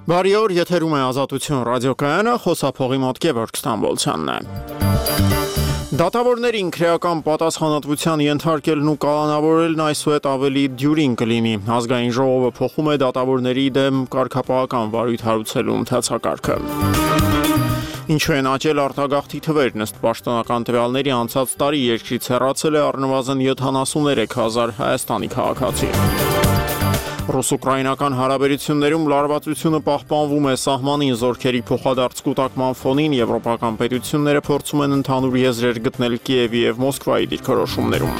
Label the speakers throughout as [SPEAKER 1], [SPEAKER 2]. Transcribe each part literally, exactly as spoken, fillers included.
[SPEAKER 1] Բարի օր, եթերում է Ազատություն ռադիոկայանը, խոսափողի մոտ Գևորգ Ստամբոլցյանն է։ Դատավորներին քրեական պատասխանատվության ենթարկելն ու կալանավորելն այսուհետ ավելի դյուրին կլինի։ Ազգային ժողովը փոխում է դատավորների դեմ կարգապահական վարույթ հարուցելու ընթացակարգը։ Ինչու են աճել արտագաղթի թվերն ըստ պաշտոնական տվյալների անցած տարի երկրից հեռացել է առնվազն յոթանասուններեք հազար Հայաստանի քաղաքացի։ Ռուս-ուկրաինական հարաբերություններում լարվածությունը պահպանվում է սահմանին զորքերի փոխադարձ կուտակման ֆոնին եվրոպական պետությունները փորձում են ընդհանուր եզրեր գտնել Կիևի եւ Մոսկվայի դիրքորոշումներում։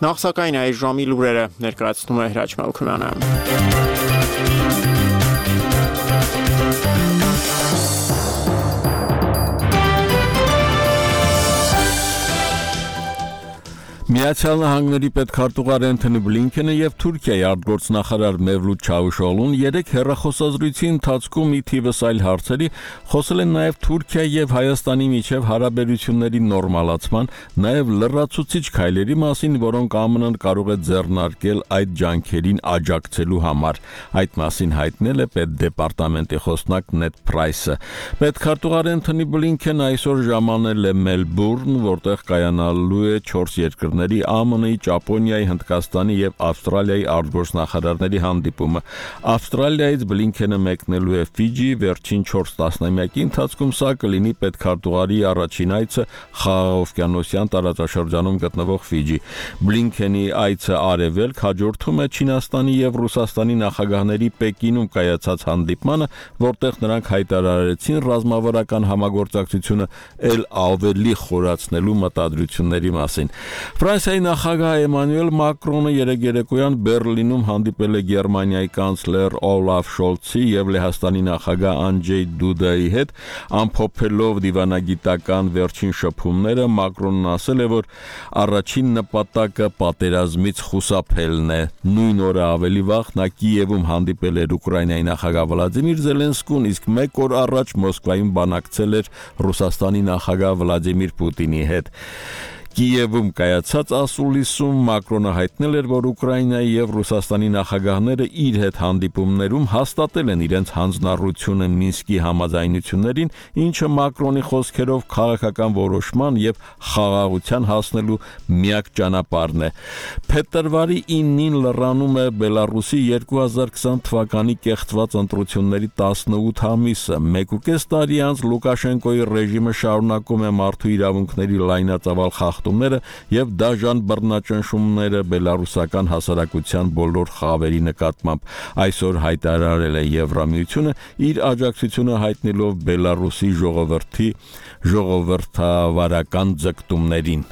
[SPEAKER 1] Նախ սակայն այս ժամի լուրերը ներկայացնում է Հրաչ Մելքումյանը։
[SPEAKER 2] Միացյալ Նահանգների պետքարտուղար Անթոնի Բլինքենը եւ Թուրքիայի արտգործնախարար Մևլութ Չավուշօղլուն երեք հեռախոսազրույցի ընթացքում ի թիվս այլ հարցերի խոսել են նաեւ Թուրքիայի եւ Հայաստանի միջև հարաբերությունների նորմալացման, նաեւ լրացուցիչ քայլերի մասին, որոնք ԱՄՆ-ն կարող է ձեռնարկել այդ ջանքերին աջակցելու համար։ Այդ մասին հայտնել է պետդեպարտամենտի խոսնակ Նեդ Պրայսը։ Պետքարտուղար Անթոնի Բլինքենը այսօր ժամանել է Մելբուրն, որտեղ կայանալու է չորս երկրների ԱՄՆ-ի, Ճապոնիայի, Հնդկաստանի եւ Ավստրալիայի արտգործնախարարների հանդիպումը։ Ավստրալիայից Բլինքենը մեկնելու է Ֆիջի, վերջին չորս տասնամյակի ընթացքում սա կլինի պետքարտուղարի առաջին այցը խաղաղօվկիանոսյան տարածաշրջանում գտնվող Ֆիջի։ Բլինքենի այցը արևելք հաջորդում է Չինաստանի եւ Ռուսաստանի նախագահների Պեկինում կայացած հանդիպմանը, որտեղ նրանք հայտարարեցին ռազմավարական համագործակցությունը ել ավելի խորացնելու մտադրությունների մասին։ Ֆրանսիայի նախագահ Էմանուել Մակրոնը երեկ երեկոյան Բերլինում հանդիպել է Գերմանիայի կանցլեր Օլաֆ Շոլցի եւ Լեհաստանի նախագահ Անջեյ Դուդայի հետ, ամփոփելով դիվանագիտական վերջին շփումները, Մակրոնն ասել է, որ առաջին նպատակը պատերազմից խուսափելն է։ Նույն օրը ավելի վաղ նա Կիևում հանդիպել էր Ուկրաինայի նախագահ Վլադիմիր Զելենսկուն, իսկ մեկ օր առաջ Մոսկվայում բանակցել էր Ռուսաստանի նախագահ Վլադիմիր Պուտինի հետ։ Կիևում կայացած ասուլիսում Մակրոնը հայտնել էր, որ Ուկրաինայի եւ Ռուսաստանի նախագահները իր հետ հանդիպումներում հաստատել են իրենց հանձնառությունը Մինսկի համաձայնություններին, ինչը Մակրոնի խոսքերով քաղաքական որոշման եւ խաղաղության հասնելու միակ ճանապարհն է։ Փետրվարի իննին լրանում է Բելարուսի երկու հազար քսան թվականի կեղծված ընտրությունների տասնութ ամիսը։ Մեկուկես տարի անց Լուկաշենկոյի ռեժիմը շարունակում է մարդու իրավունքների լայնածավալ խախտումները եւ դաժան բռնաճնշումները բելարուսական հասարակության բոլոր խավերի նկատմամբ։ Այսօր հայտարարել է Եվրամիությունը իր աջակցությունը հայտնելով Բելարուսի ժողովրդի ժողովրդավարական ձգտումներին։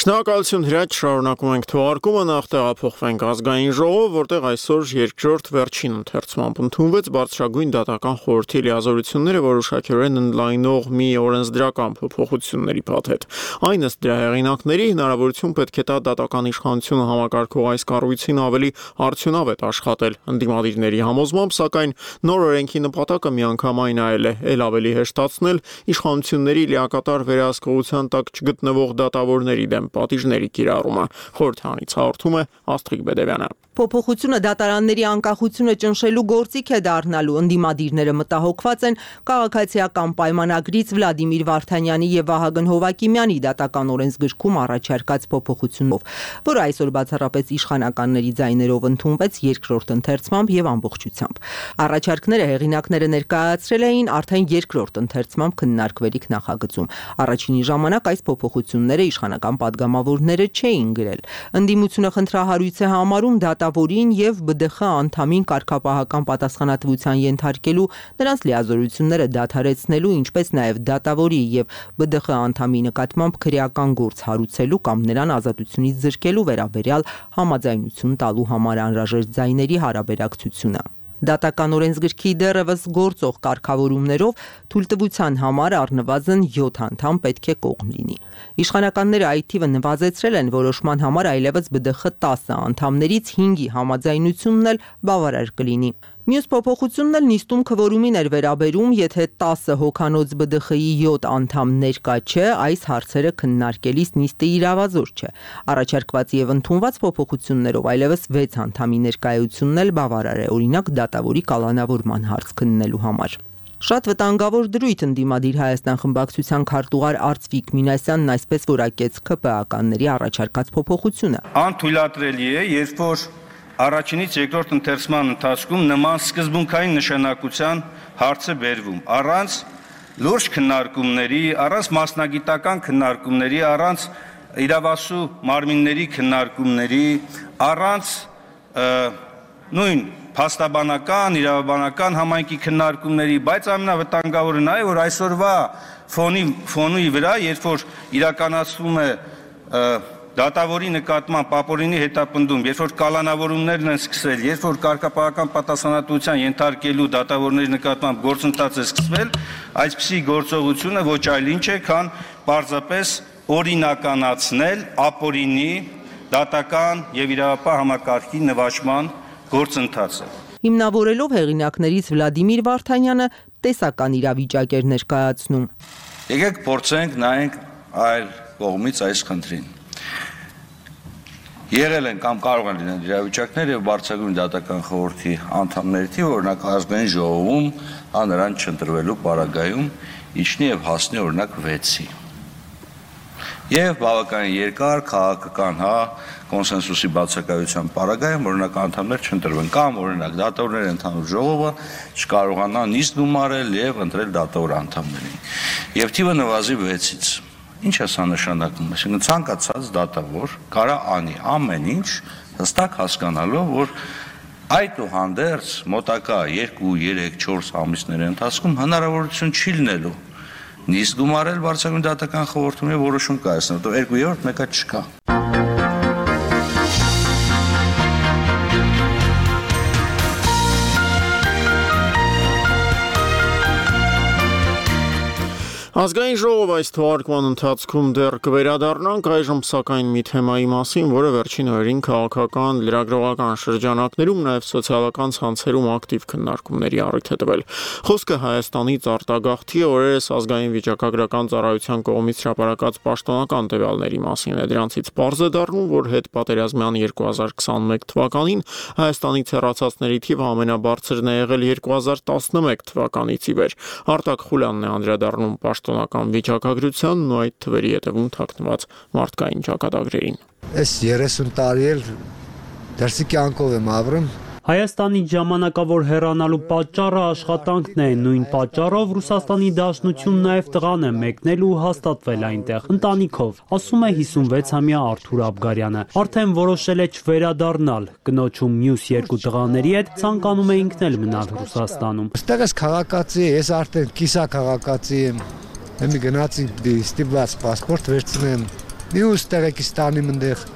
[SPEAKER 1] Շնորհակալություն Հրաչ, շարունակում ենք թողարկումը, նախ տեղափոխվենք Ազգային ժողով, որտեղ այսօր երկրորդ վերջին ընթերցմամբ ընդունվեց բարձրագույն դատական խորհրդի լիազորությունները որոշակիորեն ընդլայնող մի օրենսդրական փոփոխությունների փաթեթ։ Այն ըստ դրա հեղինակների հնարավորություն պետք է տա դատական իշխանությունը համակարգող այս կառույցին ավելի արդյունավետ աշխատել։ Ընդդիմադիրների համոզմամբ, սակայն նոր օրենքի նպատակը միանգամայն այլ է՝ ել ավելի հեշտացնել իշխանությունների լիակատար վերահսկողության տակ չգտնվող դատավորների դեմ պատիժների կիրառումը։ Խորհրդանից հաղորդում է Աստղիկ Բեդևյանը։
[SPEAKER 3] Փոփոխությունը դատարանների անկախությունը ճնշելու գործիք է դառնալու։ Ընդդիմադիրները մտահոգված են քաղաքացիական պայմանագրից Վլադիմիր Վարդանյանի եւ Վահագն Հովակիմյանի դատական օրենսգրքում առաջարկած փոփոխությունով, որը այսօր բացառապես իշխանականների ձայներով ընդունվեց երկրորդ ընթերցմամբ եւ ամբողջությամբ։ Առաջարկները հեղինակները ներկայացրել էին արդեն երկրորդ ընթերցմամբ քննարկվելիք նախագծում։ Առաջինի ժամանակ այս փոփոխությունները իշխանական падգամավորները չէին գրել։ Ընդդիմությունը խնդրահարույց է համարում դատավորին եւ B D X անդամին կարգապահական պատասխանատվության ենթարկելու, նրանց լիազորությունները դադարեցնելու, ինչպես նաեւ դատավորի եւ B D X անդամի նկատմամբ քրեական գործ հարուցելու կամ նրան ազատությունից զրկելու վերաբերյալ համաձայնություն տալու համար անհրաժեշտ ձայների հարաբերակցությունը։ Դատական օրենսգրքի դեռևս գործող կարգավորումներով թույլտվության համար առնվազն յոթ անդամ պետք է կողմ լինի։ Իշխանականները այդ թիվը նվազեցրել են որոշման համար այլևս B D X տասը անդամներից հինգի համաձայնությունն էլ բավարար կլինի։ Մյուս փոփոխությունն էլ նիստում քվորումին էր վերաբերում, եթե տասը հոգանոց B D X-ի յոթ անդամ ներկա չէ, այս հարցերը քննարկելիս նիստը իրավազոր չէ։ Առաջարկված եւ ընդունված փոփոխություններով այլևս վեց անդամի ներկայությունն էլ բավարար է, օրինակ դատավորի կալանավորման հարց քննելու համար։ Շատ վտանգավոր դրույթ ընդդիմադիր Հայաստան խմբակցության քարտուղար Արծվիկ Մինասյանն այսպես որակեց K P A-ականների առաջարկած փոփոխությունը։
[SPEAKER 4] Անթույլատրելի է, երբ որ առաջինից երկրորդ ընթերցման ընթացքում նման սկզբունքային նշանակության հարց է բերվում, առանց լուրջ քննարկումների, առանց մասնագիտական քննարկումների, առանց իրավասու մարմինների քննարկումների, առանց նույն փաստաբանական, իրավաբանական համայնքի քննարկումների, բայց ամենավտանգավորը նա է, որ այսօրվա ֆոնի ֆոնի վրա, երբ որ իրականացվում է դատավորի նկատմամբ ապօրինի հետապնդում, երբ որ կալանավորումներն են սկսվել, երբ որ կարգապահական պատասխանատվության ենթարկելու դատավորների նկատմամբ գործընթաց է սկսվել, այսպիսի գործողությունը ոչ այլ ինչ է, քան պարզապես օրինականացնել ապօրինի դատական եւ իրավապահ համակարգի նվաճման գործընթացը։
[SPEAKER 3] Հիմնավորելով հեղինակներից Վլադիմիր Վարդանյանը տեսական իրավիճակ էր ներկայացնում։
[SPEAKER 5] Եկեք փորձենք նայենք այլ կողմից այս խնդրին։ Եղել են կամ կարող են լինել իրավիճակներ եւ բարձրագույն դատական խորհրդի անդամների թիվը, օրինակ ազգային ժողովում, հա նրան չընտրվելու պարագայում իջնի եւ հասնի օրինակ վեցի։ Եվ բավականին երկար քաղաքական հա կոնսենսուսի բացակայության պարագայում օրինակ անդամներ չընտրվեն կամ օրինակ դատավորների ընդհանուր ժողովը չկարողանա նիստ գումարել եւ ընտրել դատավոր անդամներին։ Եվ թիվը նվազի վեցից։ Ինչ է սա նշանակում, այսինքն ցանկացած դատավոր կարա անի ամեն ինչ հստակ հասկանալով, որ այդուհանդերձ մոտակա երկու, երեք, չորս ամիսների ընթացքում հնարավորություն չի լինելու նիստ գումարել բարձրագույն դատական խորհրդում եւ որոշում կայացնել, որտեղ երկու երրորդ մեկը չկա։
[SPEAKER 1] Ազգային ժողով այս թողարկման ընթացքում դեռ կվերադառնանք, այժմ սակայն մի թեմայի մասին, որը վերջին օրերին քաղաքական, լրագրողական շրջանակներում, նաև սոցիալական ցանցերում ակտիվ քննարկումների առիթ է տվել։ Խոսքը Հայաստանից արտագաղթի օրերս ազգային վիճակագրական ծառայության կողմից հրապարակած պաշտոնական տվյալների մասին է։ Դրանցից պարզ է դառնում, որ հետպատերազմյան երկու հազար քսանմեկ թվականին Հայաստանից հեռացածների թիվը ամենաբարձրն է եղել երկու հազար տասնմեկ թվականից ի վեր։ Արտակ Խուլյանն է անդրադառնում պաշտոնական վիճակագրությանն ու այդ թվերի հետևում թաքնված մարդկային ճակատագրերին։
[SPEAKER 6] Այս երեսուն տարի էլ դրսի կյանքով եմ ապրում։
[SPEAKER 7] Հայաստանից ժամանակավոր հեռանալու պատճառը աշխատանքն է, նույն պատճառով Ռուսաստանի Դաշնություն նաև տղան է մեկնել ու հաստատվել այնտեղ, ընտանիքով, ասում է հիսունվեցամյա Արթուր Աբգարյանը։ Արդեն որոշել է չվերադառնալ, կնոջում մյուս երկու տղաների հետ ցանկանում է ինքն էլ մնալ Ռուսաստանում։
[SPEAKER 6] Այստեղ ես քաղաքացի, ես արդեն կիսա քաղաքացի եմ։ Եմ գնացի ստիպված պասպորտ վերցնեմ։ Մյուս տեղեկստանի մնդեղ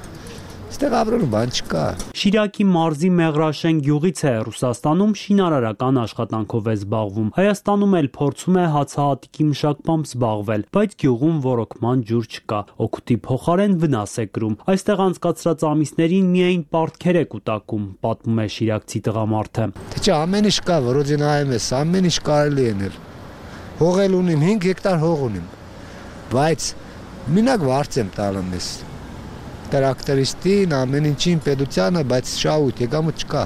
[SPEAKER 6] Ստեղ ապրելու բան չկա։
[SPEAKER 7] Շիրակի մարզի Մեղրաշեն գյուղից է, Ռուսաստանում շինարարական աշխատանքով է զբաղվում։ Հայաստանում էլ փորձում է հացահատիկի մշակմամբ զբաղվել, բայց գյուղում ոռոգման ջուր չկա։ Օգուտի փոխարեն վնաս է կրում։ Այստեղ անցկացրած ամիսներին միայն պարտքեր է կուտակում, պատմում է շիրակցի տղամարդը։
[SPEAKER 6] Թե չէ ամեն ինչ կա, որոց նայում ես, ամեն ինչ կարելի է նել։ Հողել ունիմ, հինգ հեկտար հող ունիմ։ Բայց մինակ վարձ եմ տալում ես։ Տրակտորիստին, ամեն ինչին պետությանը, բայց շահույթ եկամուտ չկա։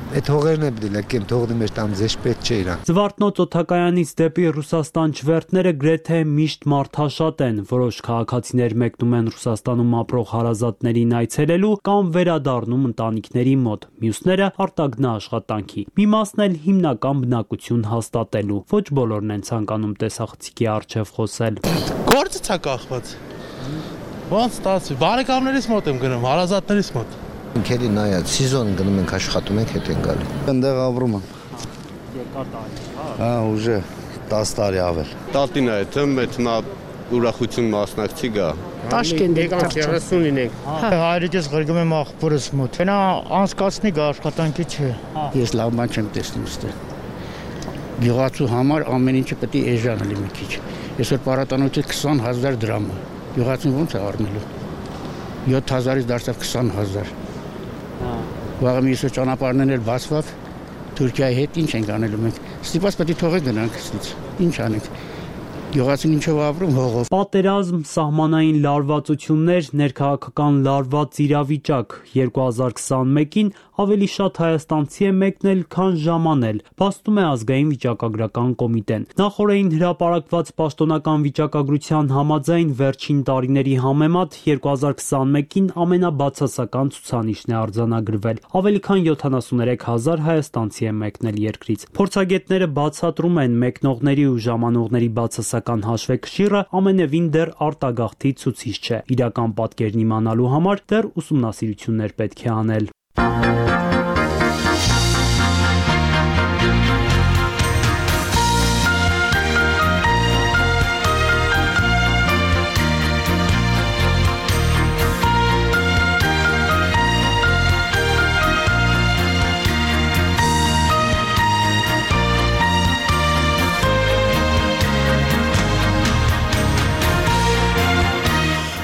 [SPEAKER 6] Այդ հողերն է պետք է լեկեմ, թողնի մեջ տամ ձեզ պետք չէ իրան։
[SPEAKER 7] Զվարթնոց օդակայանից դեպի Ռուսաստան չվերթները գրեթե միշտ մարդաշատ են, որոշ քաղաքացիներ մեկնում են Ռուսաստանում ապրող հարազատներին այցելելու կամ վերադառնում ընտանիքների մոտ, մյուսները արտագնա աշխատանքի։ Մի մասն էլ հիմնական բնակություն հաստատելու։ Ոչ բոլորն են ցանկանում տեսախցիկի առջև խոսել։
[SPEAKER 8] Գործը ցա կախված։ Ոնց ստացվի, բարեկամներից մոտ եմ գնում, հարազատներից մոտ։
[SPEAKER 6] Ինքերի նայած, սիզոն գնում ենք աշխատում ենք, հետ են գալի։ Այնտեղ ապրում եմ։
[SPEAKER 7] Երկար տարի, հա։
[SPEAKER 6] Հա, ուժը դաս տարի ավել։
[SPEAKER 9] Տատին է, թե մեծ նա ուրախություն մասնակցի գա։
[SPEAKER 10] Տաշկենտ եկանք երեսունին ենք։ Հայրիկես ղրգում եմ աղբորս մոտ։ Նա անցկացնի գա աշխատանքի չէ։
[SPEAKER 11] Ես լավ բան չեմ տեսնում ստեղ։ Գյուղացու համար ամեն ինչը պետք է էժան լինի մի քիչ։ Այսօր պարատանոցի քսան հազար դրամ է։ Գյուղացին ոնց է առնելու։ յոթ հազարից դարձավ քսան հազար։ Վաղը միսը ճանապարհներն էլ բացվավ Թուրքիայի հետ ինչ ենք անելու մենք։ Ստիպված պետք է թողենք գնանք ստից։ Ինչ անենք։ Գյուղացին ինչով ապրում հողով։
[SPEAKER 7] Պատերազմ, սահմանային լարվածություններ, ներքաղաքական լարված իրավիճակ երկու հազար քսանմեկին ավելի շատ հայաստանցի է մեկնել, քան ժամանել, փաստում է ազգային վիճակագրական կոմիտեն։ Նախորդին հրապարակված պաշտոնական վիճակագրության համաձայն վերջին տարիների համեմատ երկու հազար քսանմեկին ամենաբացասական ցուցանիշն է արձանագրվել։ Ավելի քան յոթանասուներեք հազար հայաստանցի է մեկնել երկրից։ Փորձագետները բացատրում են մեկնողների ու ժամանողների բացասական հաշվեկշիռը ամենևին դեռ արտագաղթի ցուցիչ չէ։ Իրական պատկերն իմանալու համար դեռ ուսումնասիրություններ պետք է անել։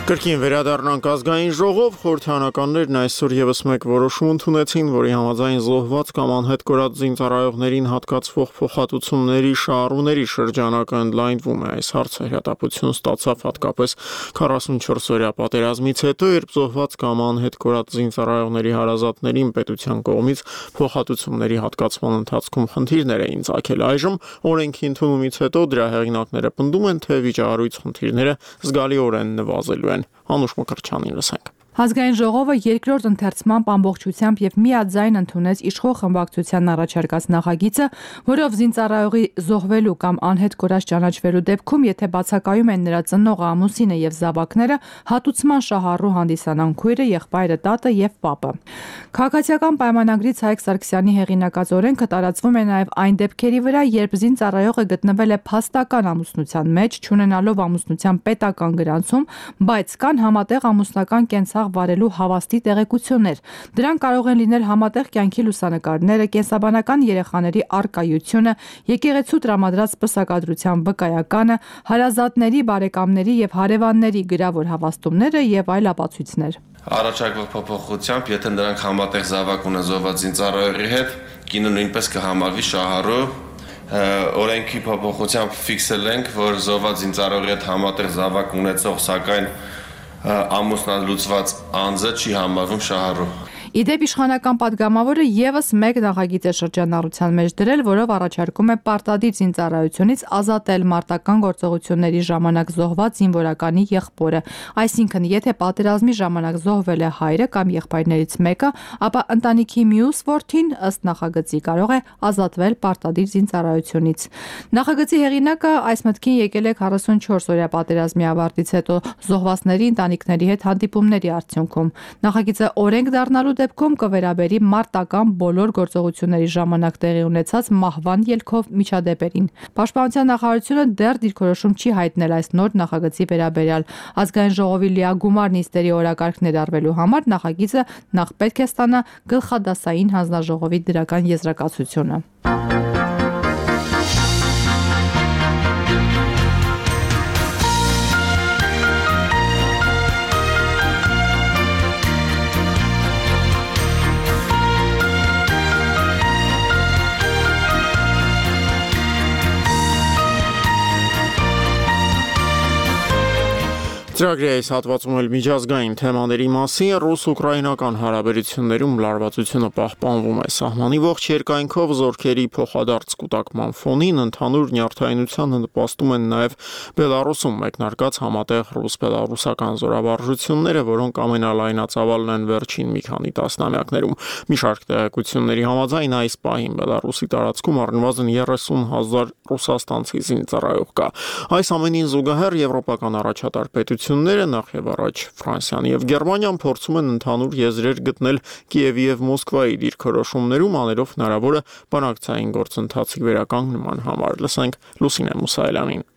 [SPEAKER 1] Կրկին վերադառնանք ազգային ժողով, խորհրդարանականներն այսօր եւս մեկ որոշում ընդունեցին, որի համաձայն զոհված կամ անհետ կորած զինծառայողներին հատկացվող փոխհատուցումների շահառուների շրջանակը ընդլայնվում է։ Այս հարցը հրատապություն ստացավ հատկապես քառասունչորս օրյա պատերազմից հետո, երբ զոհված կամ անհետ կորած զինծառայողների հարազատներին պետության կողմից փոխհատուցումների հատկացման ընթացքում խնդիրներ էին ծագել։ Այժմ օրենքի ընդունումից հետո դրա հեղինակները պնդում են, թե վիճահարույց խնդիրները զգալիորեն նվազելու են։ Անուշ Մկրտչյանին լսենք։
[SPEAKER 12] Ազգային ժողովը երկրորդ ընթերցմամբ ամբողջությամբ եւ միաձայն ընդունեց իշխող խմբակցության առաջարկած նախագիծը, որով զինծառայողի զոհվելու կամ անհետ կորած ճանաչվելու դեպքում, եթե բացակայում են նրա ծնողը, ամուսինը եւ զավակները, հատուցման շահառու հանդիսանան քույրը, եղբայրը, տատը եւ պապը։ Քաղաքացիական պայմանագրից Հայկ Սարգսյանի հեղինակած օրենքը տարածվում է նաեւ այն դեպքերի վրա, երբ զինծառայողը գտնվել է փաստական ամուսնության մեջ, չունենալով ամուսնության պետական գրանցում, բայց կան համատեղ ամուսնական կենսաղ վարելու հավաստի տեղեկություններ։ Դրանք կարող են լինել համատեղ կյանքի լուսանկարները, կենսաբանական երեխաների առկայությունը, եկեղեցու տրամադրած պսակադրության վկայականը, հարազատների, բարեկամների եւ հարևանների գրավոր հավաստումները եւ այլ ապացույցներ։
[SPEAKER 13] Առաջարկվող փոփոխությամբ, եթե նրանք համատեղ զավակ ունեն զոհված զինծառայողի հետ, կինը նույնպես կհամարվի շահառու։ Օրենքի փոփոխությամբ ֆիքսել ենք, որ զոհված զինծառայողի հետ համատեղ զավակ ունեցող, սակայն ամուսնալուծված անձը չի համարվում շահառու։
[SPEAKER 12] Իդեպ իշխանական падգամավորը եւս մեկ նախագիծ է շրջանառության մեջ դրել, որով առաջարկում է պարտադիր զինծառայությունից ազատել մարտական գործողությունների ժամանակ զոհված զինվորականի եղբորը։ Այսինքն, եթե պատերազմի ժամանակ զոհվել է հայրը կամ եղբայրներից մեկը, ապա ընտանիքի մյուս որդին ըստ նախագծի կարող է ազատվել պարտադիր զինծառայությունից։ Նախագծի հեղինակը այս մտքին եկել է քառասունչորս օրյա պատերազմի ավարտից հետո զոհվածների ընտանիքների հետ հանդիպումների արդյունքում։ Նախագիծը օրենք դառնալու դեպքում կվերաբերի մարտական բոլոր գործողությունների ժամանակ տեղի ունեցած մահվան ելքով միջադեպերին։ Պաշտպանության նախարարությունը դեռ դիրքորոշում չի հայտնել այս նոր նախագծի վերաբերյալ։ Ազգային ժողովի լիագումար նիստերի օրակարգ ներառվելու համար նախագիծը նախ պետք է ստանա գլխադասային հանձնաժողովի դրական եզրակացությունը։
[SPEAKER 1] Ծրագրի այս հատվածում էլ միջազգային թեմաների մասին ռուս-ուկրաինական հարաբերություններում լարվածությունը պահպանվում է։ Սահմանի ողջ երկայնքով զորքերի փոխադարձ կուտակման ֆոնին ընդհանուր նյարդայնությանը նպաստում են նաև Բելարուսում մեկնարկած համատեղ ռուս-բելարուսական զորավարժությունները, որոնք ամենալայնածավալն են վերջին մի քանի տասնամյակներում։ Մի շարք տեղեկությունների համաձայն այս պահին Բելարուսի տարածքում առնվազն երեսուն հազար ռուսաստանցի զինծառայող կա։ Այս ամենին զուգահեռ եվրոպական առաջատար պետությունները նախ եւ առաջ Ֆրանսիան եւ Գերմանիան փորձում են ընդհանուր եզրեր գտնել Կիևի եւ Մոսկվայի դիրքորոշումներում, անելով հնարավորը բանակցային գործընթացի վերականգնման համար։ Լսենք Լուսինե Մուսայելյանին։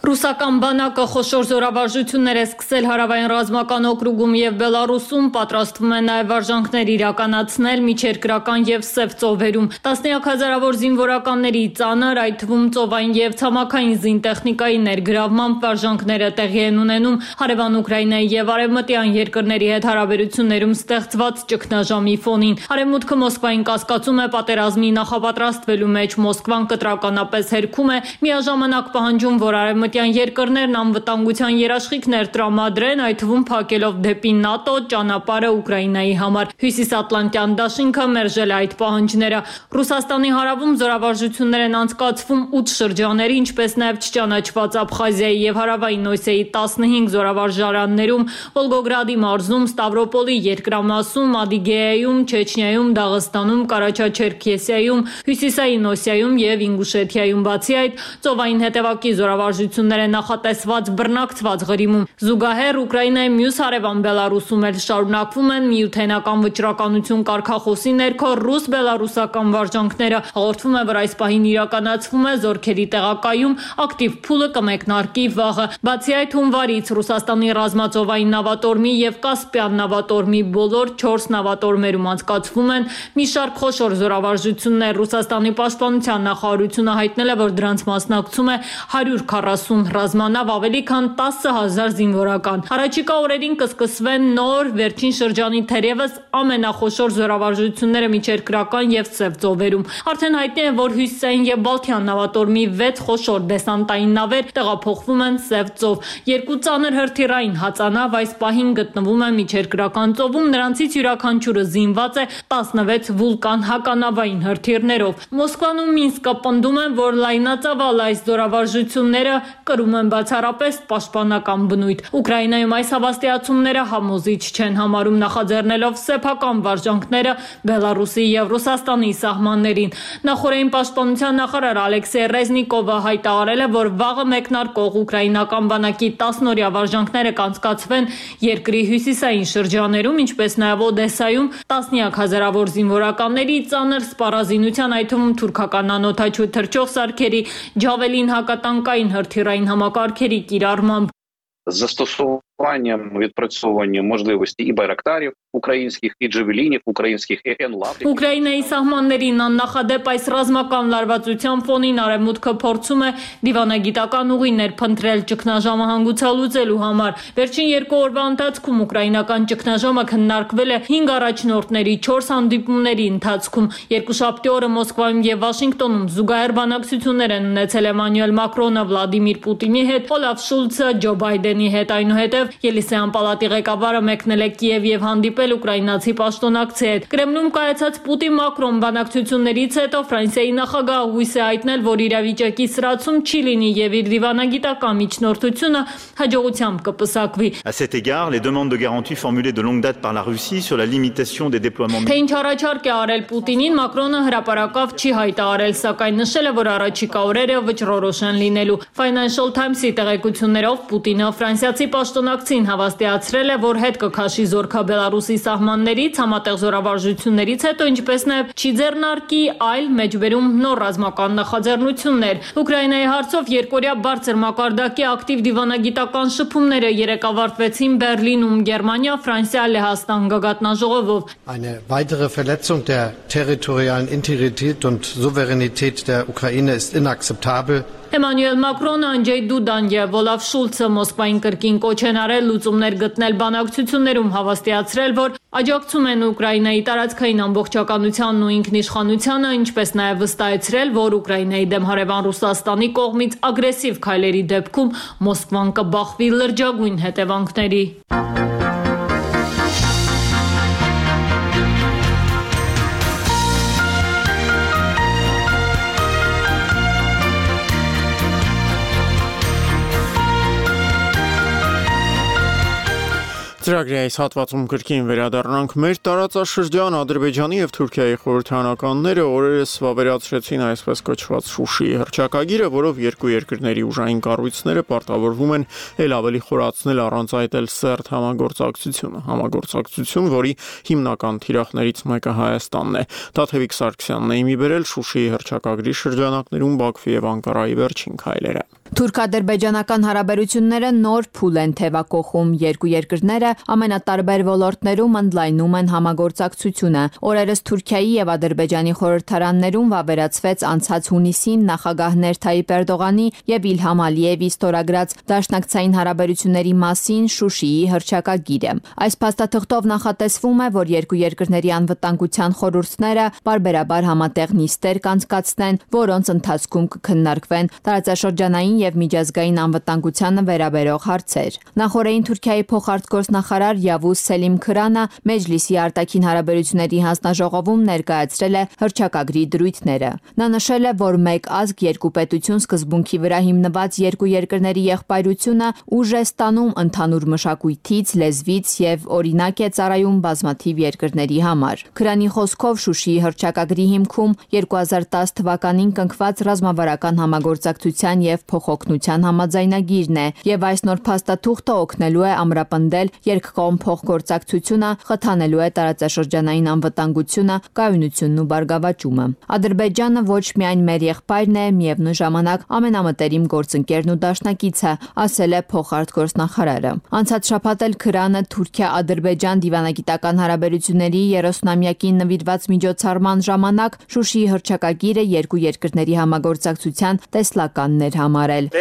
[SPEAKER 14] Ռուսական բանակը խոշոր զորավարժություններ է սկսել հարավային ռազմական օկրուգում եւ Բելարուսում, պատրաստվում է նաեւ վարժանքներ իրականացնել միջերկրական եւ Սև ծովերում։ Տասնյակ հազարավոր զինվորականների ծանր, այդ թվում ծովային եւ ցամաքային զինտեխնիկայի ներգրավմամբ վարժանքները տեղի են ունենում հարևան Ուկրաինայի եւ արևմտյան երկրների հետ հարաբերություններում ստեղծված ճգնաժամի ֆոնին։ Արևմուտքը Մոսկվային կասկածում է պատերազմի նախապատրաստվելու մեջ, Մոսկվան կտրականապես հերքում է, միաժամանակ պահանջում, որ արևմտյան երկրներն անվտանգության երաշխիքներ տրամադրեն, այդ թվում փակելով դեպի ՆԱՏՕ ճանապարհը Ուկրաինայի համար։ Հյուսիսատլանտյան դաշինքը մերժել է այդ պահանջները։ Ռուսաստանի հարավում զորավարժություններ են անցկացվում ութ շրջանների, ինչպես նաև չճանաչված Աբխազիայի եւ հարավային Օսեայի տասնհինգ զորավարժարաններում, Վոլգոգրադի մարզում, Ստավրոպոլի երկրամասում, Ադիգեայում, Չեչնիայում, Դաղստանում, Կարաչաչերքեսիայում, Հյուսիսային Օսիայում եւ Ինգուշեթիայում։ Բացի այդ, ծովային հետևակի զորավարժություններ են նախատեսված բռնակցված Ղրիմում։ Զուգահեռ Ուկրաինայի մյուս հարևան Բելարուսում էլ շարունակվում են միութենական վճռականություն կարգախոսի ներքո ռուս-բելարուսական վարժանքները։ Հաղորդվում է, որ այս պահին իրականացվում է զորքերի տեղակայում, ակտիվ փուլը կմեկնարկի վաղը։ Բացի այդ, հունվարից Ռուսաստանի ռազմածովային նավատորմի եւ Կասպիան նավատորմի բոլոր չորս նավատորմերում անցկացվում են մի շարք խոշոր զորավարժություններ։ Ռուսաստանի պաշտպանության նախարարությունը հայտնել է, որ դրանց մասնակցում է հարյուր քառասուն ռազմանավ, ավելի քան տասը հազար զինվորական։ Առաջիկա օրերին կսկսվեն նոր վերջին շրջանի թերևս ամենախոշոր զորավարժությունները միջերկրական եւ Սև ծովերում։ Արդեն հայտնի է, որ Հյուսիսային եւ Բալթյան նավատորմի վեց խոշոր դեսանտային նավեր տեղափոխվում են Սև ծով։ Երկու ծանր հրթիռային հածանավ այս պահին գտնվում է միջերկրական ծովում, նրանցից յուրաքանչյուրը զինված է տասնվեց Վուլկան հականավային հրթիռներով։ Մոսկվան ու Մինսկը պնդում են, որ լայնածավալ այս զորավարժությունները կրում են բացառապես պաշտպանական բնույթ։ Ուկրաինայում այս հավաստիացումները համոզիչ չեն համարում, նախաձեռնելով սեփական վարժանքները Բելարուսի եւ Ռուսաստանի սահմաններին։ Նախորդային պաշտպանության նախարար Ալեքսեյ Ռեզնիկովը հայտարարել է, որ վաղը մեկնարկող ուկրաինական բանակի տասնօրյա վարժանքները կանցկացվեն երկրի հյուսիսային շրջաներում, ինչպես նաեւ Օդեսայում տասնյակ հազարավոր զինվորականների ծանր սպառազինության, այդ թվում թուրքական անօդաչու թռչող սարքերի, Ջավելին հակատանկային հրթիռային համակարգերի կիրառմամբ։
[SPEAKER 15] Застосуванням, відпрацьовуванням можливості і байрактарів українських, і джавелінів українських, і енлаврів.
[SPEAKER 14] Ուկրաինայի սահմաններին աննախադեպ այս ռազմական լարվածության ֆոնին արևմուտքը փորձում է դիվանագիտական ուղիներ փնտրել ճգնաժամը հանգուցալուծելու համար։ Վերջին երկու օրվա ընթացքում ուկրաինական ճգնաժամը քննարկվել է հինգ առաջնորդների չորս հանդիպումների ընթացքում։ Երկուշաբթի օրը Մոսկվայում եւ Վաշինգտոնում զուգահեռ բանակցություններ են ունեցել Էմանուել Մակրոնը, Վլադիմիր Պուտինի հետ, Օլաֆ Շուլցը, Ջո Բայդենի հետ, այնուհետև Ելիսեյան պալատի ղեկավարը մեկնել է Կիև եւ հանդիպել ուկրաինացի պաշտոնակցի հետ։ Կրեմլում կայացած Պուտին-Մակրոն բանակցություններից հետո Ֆրանսիայի նախագահը հույս է հայտնել, որ իրավիճակի սրացում չի լինի եւ իր դիվանագիտական միջնորդությունը հաջողությամբ կպսակվի։
[SPEAKER 16] À cet égard, les demandes de garantie formulées de longue date par la Russie sur la limitation des déploiements
[SPEAKER 14] Թե ինչ առաջարկ է արել Պուտինին, Մակրոնը հրապարակավ չի հայտարարել, սակայն նշել է, որ առաջիկա օրերը վճռորոշ են լինելու։ Financial Times-ի տեղեկություններով Պուտինը ֆրանսիացի պաշտոնակցին հավաստիացրել է, որ հետ կքաշի զորքա Բելարուսի սահմաններից, համատեղ զորավարժություններից հետո, ինչպես նաև չի ձեռնարկի այլ մեջբերում նոր ռազմական նախաձեռնություններ։ Ուկրաինայի հարցով երկօրյա բարձր մակարդակի ակտիվ դիվանագիտական շփումները երեկ ավարտվեցին Բերլինում, Գերմանիա, Ֆրանսիա, Լեհաստան գագաթնաժողովով։
[SPEAKER 17] Eine weitere Verletzung der territorialen Integrität und Souveränität der Ukraine ist inakzeptabel.
[SPEAKER 14] Էմանուել Մակրոնը, Անջեյ Դուդան եւ Օլաֆ Շուլցը Մոսկվային կրկին կոչ են արել լուծումներ գտնել բանակցություններում, հավաստիացրել, որ աջակցում են Ուկրաինայի տարածքային ամբողջականությանն ու ինքնիշխանությանը, ինչպես նաեւ վստահեցրել, որ Ուկրաինայի դեմ հարևան Ռուսաստանի կողմից ագրեսիվ քայլերի դեպքում Մոսկվան կբախվի լրջագույն հետևանքների։
[SPEAKER 1] Ծրագրի այս հատվածում կրկին վերադառնանք մեր տարածաշրջան Ադրբեջանի եւ Թուրքիայի խորհրդարանականները օրերս վավերացրեցին այսպես կոչված Շուշիի հռչակագիրը, որով երկու երկրների ուժային կառույցները պարտավորվում են ել ավելի խորացնել առանց այդ էլ սերտ համագործակցությունը, համագործակցություն, որի հիմնական թիրախներից մեկը Հայաստանն է։ Տաթևիկ Սարգսյանն է իմի բերել Շուշիի հռչակագրի շրջանակներում Բաքվի եւ Անկարայի վերջին քայլերը։
[SPEAKER 18] Թուրք-ադրբեջանական հարաբերությունները նոր փուլ են թևակողում։ Երկու երկրները ամենատարբեր ոլորտներում ընդլայնում են համագործակցությունը։ Օրերս Թուրքիայի եւ Ադրբեջանի խորհրդարաններում վավերացվեց անցած հունիսին նախագահներ Թայիպ Էրդողանի եւ Իլհամ Ալիևի ստորագրած դաշնակցային հարաբերությունների մասին Շուշիի հռչակագիրը։ Այս փաստաթղթով նախատեսվում է, որ երկու երկրների անվտանգության խորհուրդները բարբերաբար համատեղ նիստեր կանցկացնեն, որոնց ընթացքում կքննարկվեն տարածաշրջանային եւ միջազգային անվտանգությանը վերաբերող հարցեր։ Նախորդին Թուրքիայի փոխարտգործնախարար Yavuz Selim Krana Մեջլիսի արտաքին հարաբերությունների հանձնաժողովում ներկայացրել է հռչակագրի դրույթները։ Նա նշել է, որ մեկ ազգ երկու պետություն սկզբունքի վրա հիմնված երկու երկրների եղբայրությունը ուժ է ստանում ընդհանուր մշակույթից, լեզվից եւ օրինակ է ծառայում բազմաթիվ երկրների համար։ Քրանի խոսքով Շուշիի հռչակագրի հիմքում երկու հազար տասը թվականին կնքված ռազմավարական համագործակցության եւ փոխօգնության համաձայնագիրն է, եւ այս նոր փաստաթուղթը օգնելու է ամրապնդել երկկողմ փոխգործակցությունը, խթանելու է տարածաշրջանային անվտանգությունը, կայունությունն ու բարգավաճումը։ Ադրբեջանը ոչ միայն մեր եղբայրն է, միևնույն ժամանակ ամենամտերիմ գործընկերն ու դաշնակիցը, ասել է փոխարտգործնախարարը։ Անցած շաբաթ էլ Քրանը Թուրքիա-Ադրբեջան դիվանագիտական հարաբերությունների երեսունամյակին նվիրված միջոցառման ժամանակ Շուշիի հռչակագիրը երկու երկրների համագործակցության տեսլականն էր համարել։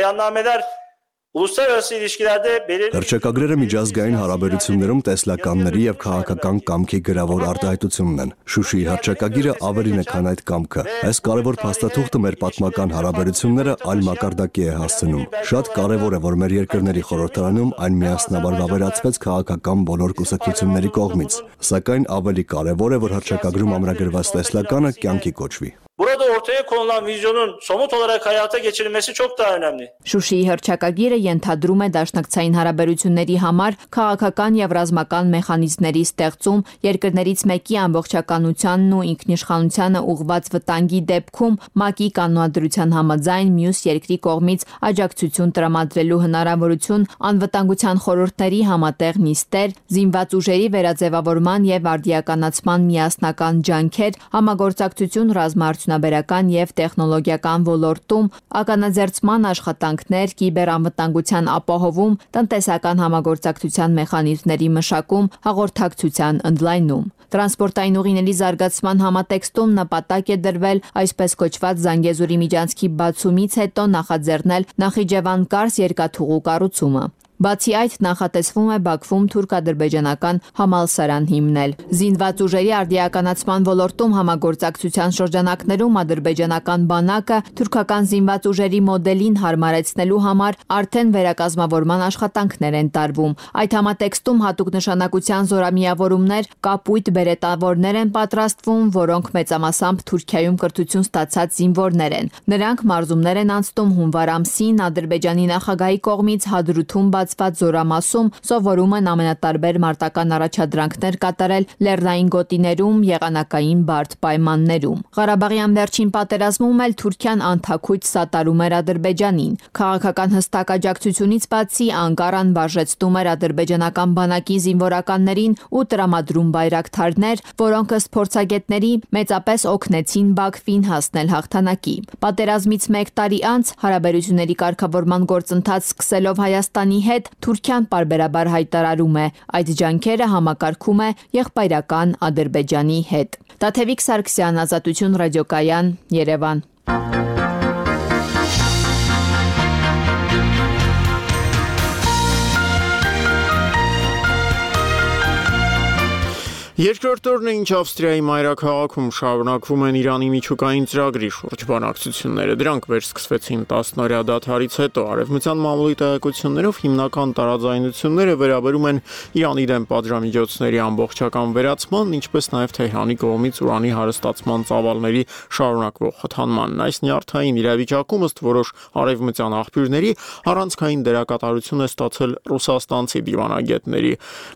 [SPEAKER 19] Հռչակագրերը միջազգային հարաբերություններում տեսլականների եւ քաղաքական կամքի գրավոր արտահայտությունն են։ Շուշիի հռչակագիրը ավելին է, քան այդ կամքը։ Այս կարևոր փաստաթուղթը մեր պատմական հարաբերությունները այլ մակարդակի է հասցնում։ Շատ կարևոր է, որ մեր երկրների խորհրդարանում այն միասնաբար վավերացվեց քաղաքական բոլոր կուսակցությունների կողմից։ Սակայն ավելի կարևոր է, որ հռչակագրում ամրագրված տեսլականը կյանքի կոչվի։
[SPEAKER 20] Burada ortaya konulan vizyonun somut olarak hayata geçirilmesi çok daha önemli.
[SPEAKER 18] Շուշիի հռչակագիրը ենթադրում է դաշնակցային հարաբերությունների համար քաղաքական եւ ռազմական մեխանիզմների ստեղծում, երկրներից մեկի ամբողջականությանն ու ինքնիշխանությանը ուղղված վտանգի դեպքում ՄԱԿ-ի կանոնադրության համաձայն մյուս երկրի կողմից աջակցություն տրամադրելու հնարավորություն, անվտանգության խորհուրդների համատեղ նիստեր, զինված ուժերի վերաձևավորման եւ արդիականացման միասնական ջանքեր, համագործակցություն ռազմաարդյունաբերական եւ տեխնոլոգիական ոլորտում, ականաձերծման աշխատանքներ, կիբերանվտանգության ապահովում, տնտեսական համագործակցության մեխանիզմների մշակում, հաղորդակցության ընդլայնում։ Տրանսպորտային ուղիների զարգացման համատեքստում նպատակ է դրվել այսպես կոչված Զանգեզուրի միջանցքի բացումից հետո նախաձեռնել Նախիջևան-Կարս երկաթուղու կառուցումը։ Բացի այդ, նախատեսվում է Բաքվում թուրք-ադրբեջանական համալսարան հիմնել։ Զինված ուժերի արդիականացման ոլորտում համագործակցության շրջանակներում ադրբեջանական բանակը թուրքական զինված ուժերի մոդելին հարմարեցնելու համար արդեն վերակազմավորման աշխատանքներ են տարվում։ Այդ համատեքստում հատուկ նշանակության զորամիավորումներ, կապույտ բերետավորներ են պատրաստվում, որոնք մեծամասամբ Թուրքիայում կրթություն ստացած զինվորներ են։ Նրանք մարզումներ են անցնում հունվար ամսին Ադրբեջանի նախագահի կողմից Հադրութում բացված զորամասում, սովորում են ամենատարբեր մարտական առաջադրանքներ կատարել լեռնային գոտիներում, եղանակային բարդ պայմաններում։ Ղարաբաղյան վերջին պատերազմում էլ Թուրքիան անթաքույց սատարում էր Ադրբեջանին։ Քաղաքական հստակ աջակցությունից բացի Անկարան վարժեցնում էր ադրբեջանական բանակի զինվորականներին ու տրամադրում բայրակթարներ, որոնք ըստ փորձագետների մեծապես օգնեցին Բաքվին հասնել հաղթանակի։ Պատերազմից մեկ տարի անց հարաբերությունների կարգավորման գործընթաց սկսելով Հայաստանի հետ Թուրքիան պարբերաբար հայտարարում է, այդ ջանքերը համակարգում է եղբայրական Ադրբեջանի հետ։ Տաթևիկ Սարգսյան, Ազատություն ռադիոկայան, Երևան։
[SPEAKER 1] Երկրորդ օրն է, ինչ Ավստրիայի մայրաքաղաքում շարունակվում են Իրանի միջուկային ծրագրի շուրջ բանակցությունները։ Դրանք վերսկսվեցին տասնօրյա դադարից հետո։ Արևմտյան մամուլի տեղեկություններով հիմնական տարաձայնությունները վերաբերում են Իրանի դեմ պատժամիջոցների ամբողջական վերացման, ինչպես նաև Թեհրանի կողմից ուրանի հարստացման ծավալների շարունակվող խթանմանն։ Այս նյարդային իրավիճակում ըստ որոշ արևմտյան աղբյուրների առանցքային դերակատարություն է ստացել ռուսաստանցի դիվանագետների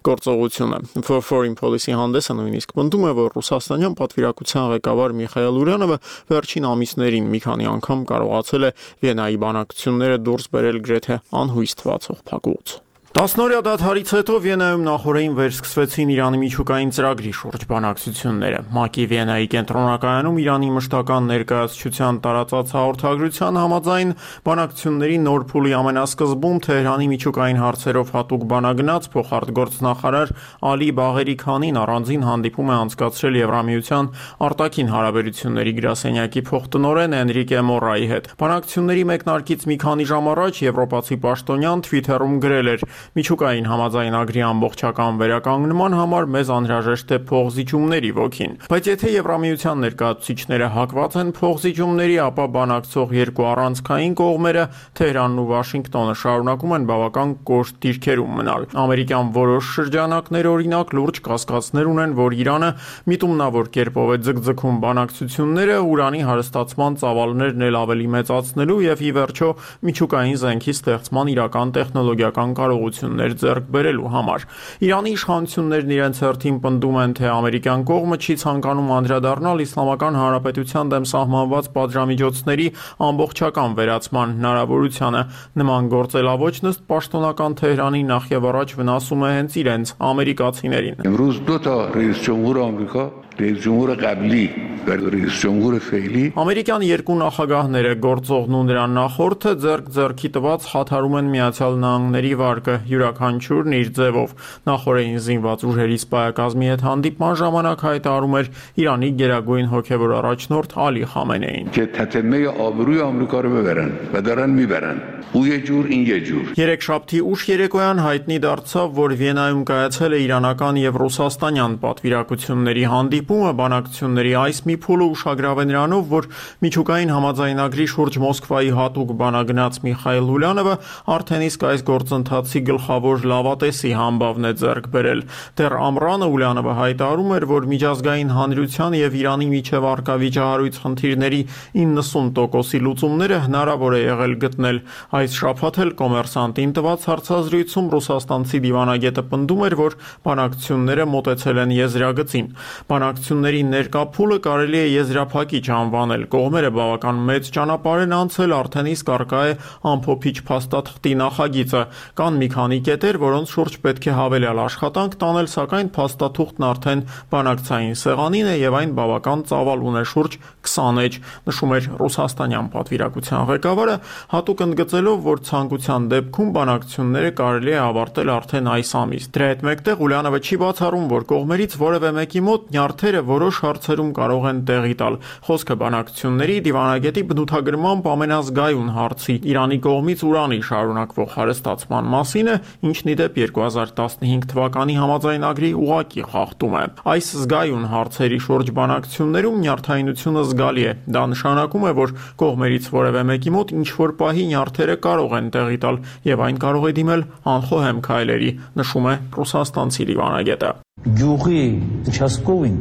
[SPEAKER 1] գործողությունը։ Foreign Policy հանդեսը նույնիսկ պնդում է, որ ռուսաստանյան պատվիրակության ղեկավար Միխայել Ուրյանովը վերջին ամիսներին մի քանի անգամ կարողացել է Վիեննայի բանակցությունները դուրս բերել գրեթե անհույս թվացող փակուղուց։ Տասնօրյա դադարից հետո Վիեննայում նախօրեին վերսկսվեցին Իրանի միջուկային ծրագրի շուրջ բանակցությունները։ ՄԱԿ-ի Վիեննայի կենտրոնակայանում Իրանի մշտական ներկայացուցչության տարածած հաղորդագրության համաձայն բանակցությունների նոր փուլի ամենասկզբում Թեհրանի միջուկային հարցերով հատուկ բանագնաց փոխարտգործնախարար Ալի Բաղերի Քանին առանձին հանդիպում է անցկացրել Եվրամիության արտաքին հարաբերությունների գրասենյակի փոխտնօրեն Էնրիկե Մորայի հետ։ Բանակցությունների մեկնարկից մի քանի ժամ առաջ եվրոպացի պաշտոնյան Twitter-ում գրել էր. Միջուկային համաձայնագրի ամբողջական վերականգնման համար մեզ անհրաժեշտ է փոխզիջումների ոգին, բայց եթե Եվրամիության ներկայացուցիչները հակված են փոխզիջումների, ապա բանակցող երկու առանցքային կողմերը Թեհրանն ու Վաշինգտոնը շարունակում են բավական կոշտ դիրքերում մնալ։ Ամերիկյան որոշ շրջանակներ օրինակ լուրջ կասկածներ ունեն, որ Իրանը միտումնավոր կերպով է ձգձգում բանակցությունները ուրանի հարստացման ծավալներն էլ ավելի մեծացնելու եւ ի վերջո միջուկային զենքի ստեղծման իրական տեխնոլոգիական կարողություններ ձեռք բերելու համար։ Իրանի իշխանություններն իրենց հերթին պնդում են, թե ամերիկյան կողմը չի ցանկանում անդրադառնալ Իսլամական Հանրապետության դեմ սահմանված պատժամիջոցների ամբողջական վերացման հնարավորությանը։ Նման գործելավոճն ըստ պաշտոնական Թեհրանի նախևառաջ վնասում է հենց իրենց ամերիկացիներին։
[SPEAKER 21] امروز دو تا رئیس جمهور آمریکا رئیس جمهور قبلی و رئیس جمهور فعلی
[SPEAKER 1] Ամերիկյան երկու նախագահները գործողն ու նրան նախորդը ձեռք ձեռքի տված խաթարում են Միացյալ Նահանգների վարկը յուրաքանչյուրն իր ձևով։ Նախորդին զինված ուժերի սպայակազմի հետ հանդիպման ժամանակ հայտարարում էր Իրանի գերագույն հոգևոր առաջնորդ Ալի Խամենեին։
[SPEAKER 21] که تتمه آبروی آمریکا رو ببرن و دارن میبرن او یه جور این یه جور
[SPEAKER 1] Երեքշաբթի ուշ երեկոյան հայտնի դարձավ, որ Վիեննայում կայացել է իրանական եւ ռուսաստանյան պատվիրակությունների հանդիպումը։ Բանակցությունների այս մի փուլը ուշագրավ է նրանով, որ միջուկային համաձայնագրի շուրջ Մոսկվայի հատուկ բանագնաց Միխայել Ուլյանովը արդեն իսկ այս գործընթացի գլխավոր լավատեսի համբավն է ձեռք բերել։ Դեռ ամռանը Ուլյանովը հայտարարում էր, որ միջազգային հանրության եւ Իրանի միջև առկա վիճահարույց խնդիրների իննսուն տոկոսի լուծումները հնարավոր է եղել գտնել։ Այս շաբաթ էլ Կոմերսանտին տված հարցազրույցում ռուսաստանցի դիվանագետը պնդում էր, որ բանակցությունները մոտեցել են եզրագծին։ Բանակցությունների ներկա փուլը կարելի է եզրափակիչ անվանել։ Կողմերը բավական մեծ ճանապարհ են անցել, արդեն իսկ առկա է ամփոփիչ փաստաթղթի նախագիծը։ Կան մի քանի կետեր, որոնց շուրջ պետք է հավելյալ աշխատանք տանել, սակայն փաստաթուղթն արդեն բանակցային սեղանին է եւ այն բավական ծավալ ունի շուրջ քսան էջ, նշում էր ռուսաստանյան պատվիրակության ղեկավարը, հատուկ ընդգծելով, որ ցանկության դեպքում բանակցությունները կարելի է ավարտել արդեն այս ամիս։ Դրա հետ մեկտեղ Ուլյանովը չի բացառում, որ կողմերից որևէ մեկի մոտ նյարդերը որոշ հարցերում կարող են տեղի տալ։ Խոսքը բանակցությունների դիվանագետի բնութագրմամբ ամենազգայուն հարցի Իրանի կողմից ուրանի շարունակվող հարստացման մասին է, ինչն ի դեպ երկու հազար տասնհինգ թվականի համաձայնագրի ուղղակի խախտում է։ Այս զգայուն հարցերի շուրջ բանակցություններում նյարդայնությունը զգալի է։ Դա նշանակում է, որ կողմերից որևէ մեկի մոտ ինչ որ պահի նյարդերը կարող են տեղի տալ եւ այն կարող է դիմել անխոհեմ քայլերի, նշում է ռուսաստանցի դիվանագետը։
[SPEAKER 22] Գյուղի участковին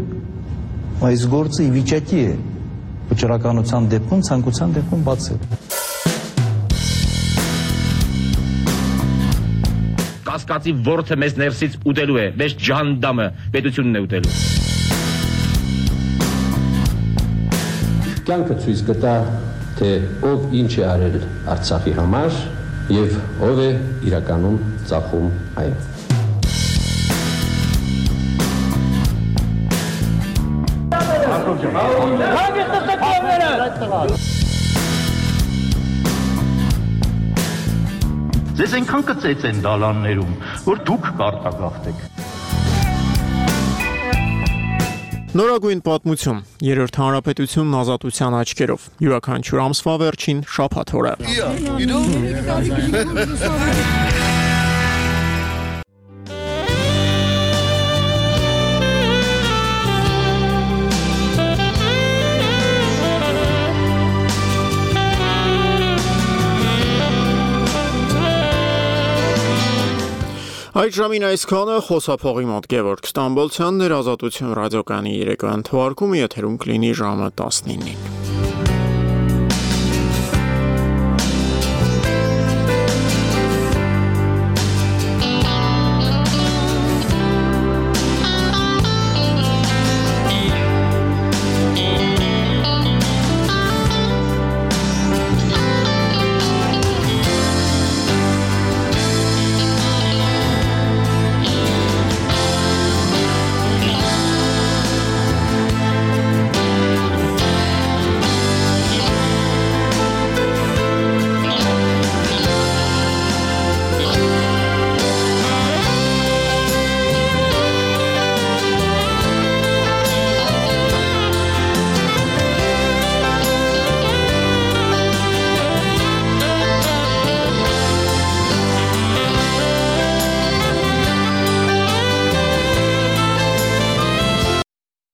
[SPEAKER 22] այս գործը ի վիճակի է վճռականության դեպքում, ցանկության դեպքում բացել։
[SPEAKER 23] Կասկածի ворթը մեզ ներսից ուտելու է, մեզ ջանդամը պետությունն է ուտելու։
[SPEAKER 24] Կյանքը ցույց կտա, թե ով ինչ է արել Արցախի համար եւ ով է իրականում ծախում այն։
[SPEAKER 23] Ձեզ այնքան կծեց են դալաններում, որ դուք կարտագաղթեք։
[SPEAKER 1] Նորագույն պատմություն, երրորդ հանրապետությունն ազատության աչքերով, յուրաքանչյուր ամսվա վերջին շաբաթ օրը։ Այդ ժամին այսքանը խոսափողի մոտ Գևորգ Ստամբոլցյանն էր, Ազատություն ռադիոկայանի երեկոյան թողարկումը եթերում կլինի ժամը տասնինին։